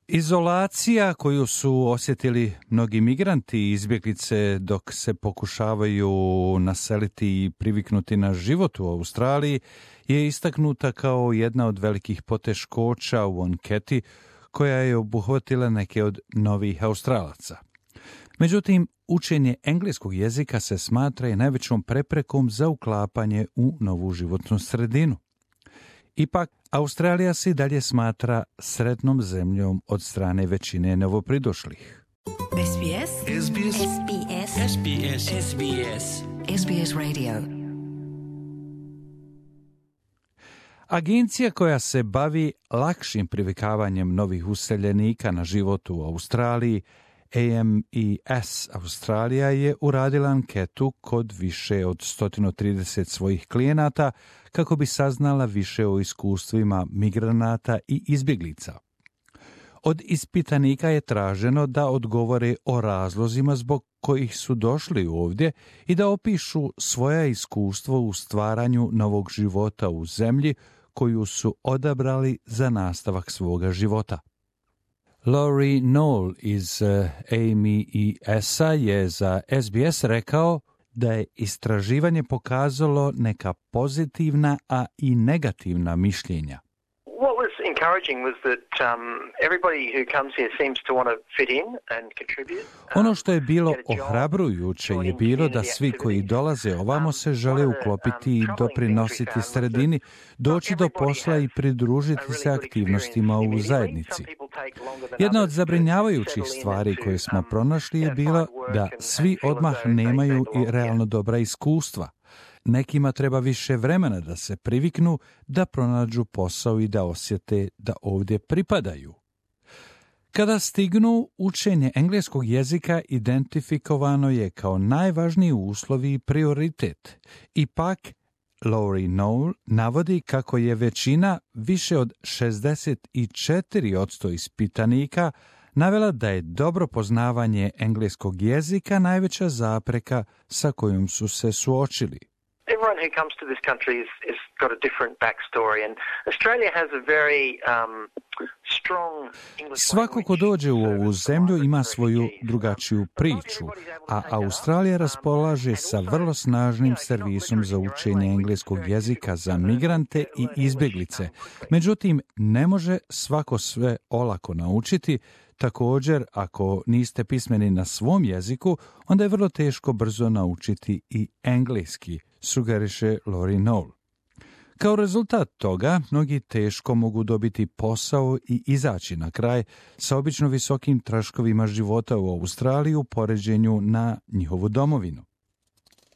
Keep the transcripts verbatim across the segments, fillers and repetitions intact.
Izolacija koju su osjetili mnogi migranti i izbjeglice dok se pokušavaju naseliti i priviknuti na život u Australiji je istaknuta kao jedna od velikih poteškoća u anketi koja je obuhvatila neke od novih Australaca. Međutim, učenje engleskog jezika se smatra i najvećom preprekom za uklapanje u novu životnu sredinu. Ipak, Australija se i dalje smatra sretnom zemljom od strane većine novopridošlih. S B S S B S S B S S B S S B S S B S Radio. Agencija koja se bavi lakšim privikavanjem novih useljenika na život u Australiji, A M E S Australija, je uradila anketu kod više od sto trideset svojih klijenata kako bi saznala više o iskustvima migranata i izbjeglica. Od ispitanika je traženo da odgovore o razlozima zbog kojih su došli ovdje i da opišu svoja iskustva u stvaranju novog života u zemlji koju su odabrali za nastavak svoga života. Laurie Knoll iz A M E S-a je za S B S rekao da je istraživanje pokazalo neka pozitivna, a i negativna mišljenja. What was encouraging was that um, everybody who comes here seems to want to fit in and contribute. Ono što je bilo ohrabrujuće je bilo da svi koji dolaze ovamo se žele uklopiti i doprinositi sredini, doći do posla i pridružiti se aktivnostima u zajednici. Jedna od zabrinjavajućih stvari koje smo pronašli je bila da svi odmah nemaju i realno dobra iskustva. Nekima treba više vremena da se priviknu, da pronađu posao i da osjete da ovdje pripadaju. Kada stignu, učenje engleskog jezika identifikovano je kao najvažniji uslov i prioritet. Ipak, Laurie Knoll navodi kako je većina, više od šezdeset četiri posto ispitanika, navela da je dobro poznavanje engleskog jezika najveća zapreka sa kojom su se suočili. Everyone who comes to this country is, is got a different backstory, and Australia has a very um, strong English. Svako ko dođe u ovu zemlju ima svoju drugačiju priču, a Australija raspolaže sa vrlo snažnim servisom za učenje engleskog jezika za migrante i izbjeglice. Međutim, ne može svako sve olako naučiti. Također, ako niste pismeni na svom jeziku, onda je vrlo teško brzo naučiti i engleski, sugeriše Laurie Knoll. Kao rezultat toga, mnogi teško mogu dobiti posao i izaći na kraj sa obično visokim troškovima života u Australiji u poređenju na njihovu domovinu.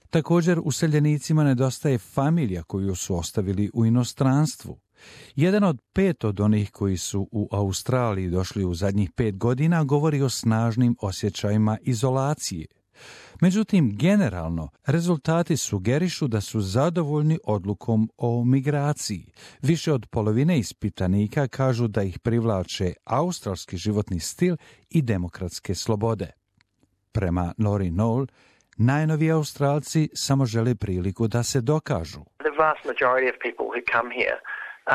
Također, useljenicima nedostaje familija koju su ostavili u inostranstvu. Jedan od pet od onih koji su u Australiji došli u zadnjih pet godina govori o snažnim osjećajima izolacije. Međutim, generalno, rezultati sugerišu da su zadovoljni odlukom o migraciji. Više od polovine ispitanika kažu da ih privlače australski životni stil i demokratske slobode. Prema Laurie Knoll, najnoviji Australci samo žele priliku da se dokažu. The vast majority of people who come here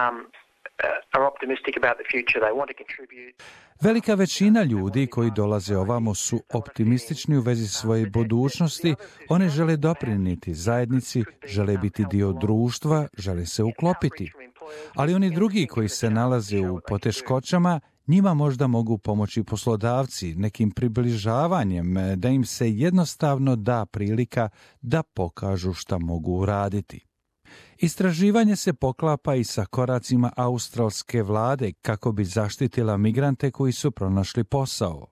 um, uh, are optimistic about the future. They want to contribute. Velika većina ljudi koji dolaze ovamo su optimistični u vezi svoje budućnosti, oni žele doprinijeti zajednici, žele biti dio društva, žele se uklopiti. Ali oni drugi koji se nalaze u poteškoćama, njima možda mogu pomoći poslodavci nekim približavanjem, da im se jednostavno da prilika da pokažu šta mogu uraditi. Istraživanje se poklapa i sa koracima australske vlade kako bi zaštitila migrante koji su pronašli posao.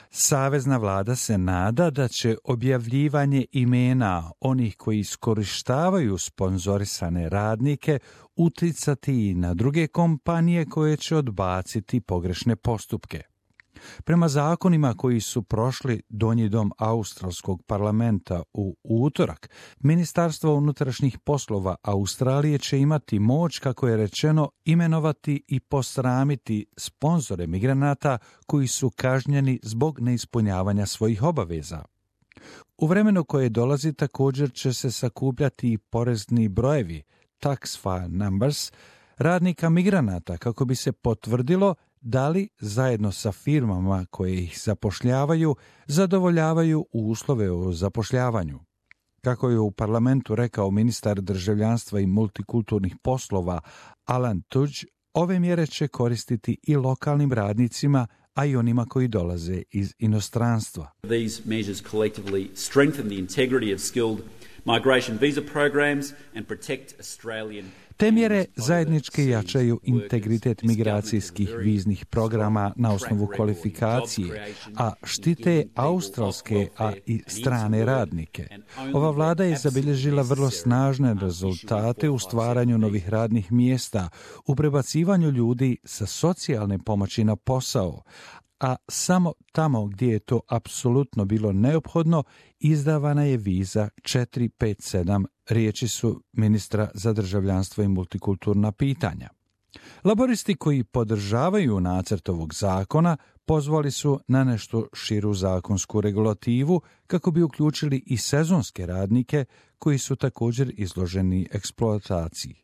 Savezna vlada se nada da će objavljivanje imena onih koji iskorištavaju sponzorisane radnike uticati i na druge kompanije koje će odbaciti pogrešne postupke. Prema zakonima koji su prošli donji dom australskog parlamenta u utorak, Ministarstvo unutrašnjih poslova Australije će imati moć, kako je rečeno, imenovati i posramiti sponzore migranata koji su kažnjeni zbog neispunjavanja svojih obaveza. U vremenu koje dolazi također će se sakupljati i porezni brojevi, tax file numbers, radnika migranata, kako bi se potvrdilo da li zajedno sa firmama koje ih zapošljavaju zadovoljavaju uslove o zapošljavanju. Kako je u parlamentu rekao ministar državljanstva i multikulturnih poslova Alan Tudge, ove mjere će koristiti i lokalnim radnicima, a i onima koji dolaze iz inostranstva. These measures collectively strengthen the integrity of skilled migration visa programs and protect Australian. Te mjere zajednički jačaju integritet migracijskih viznih programa na osnovu kvalifikacije, a štite australske, a i strane radnike. Ova vlada je zabilježila vrlo snažne rezultate u stvaranju novih radnih mjesta, u prebacivanju ljudi sa socijalne pomoći na posao, a samo tamo gdje je to apsolutno bilo neophodno, izdavana je viza četiri pet sedam, riječi su ministra za državljanstvo i multikulturna pitanja. Laboristi koji podržavaju nacrt ovog zakona pozvali su na nešto širu zakonsku regulativu kako bi uključili i sezonske radnike koji su također izloženi eksploataciji.